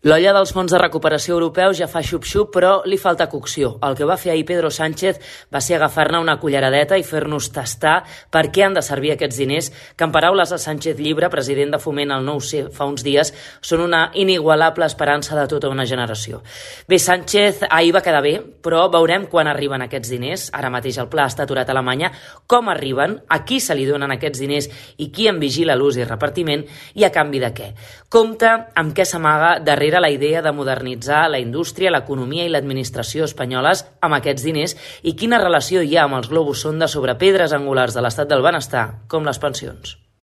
L'olla dels fons de recuperació europeus ja fa xup-xup, però li falta cocció. El que va fer ahir Pedro Sánchez va ser agafar-ne una culleradeta i fer-nos tastar per què han de servir aquests diners, que en paraules de Sánchez Llibre, president de Foment al 9C fa uns dies, són una inigualable esperança de tota una generació. Bé, Sánchez ahir va quedar bé, però veurem quan arriben aquests diners. Ara mateix el pla està aturat a Alemanya. Com arriben, a qui se li donen aquests diners i qui en vigila l'ús i repartiment i a canvi de què. Compte amb què s'amaga darrere la idea de modernitzar la indústria, l'economia i l'administració espanyoles amb aquests diners i quina relació hi ha amb els globus sonda sobre pedres angulars de l'estat del benestar, com les pensions.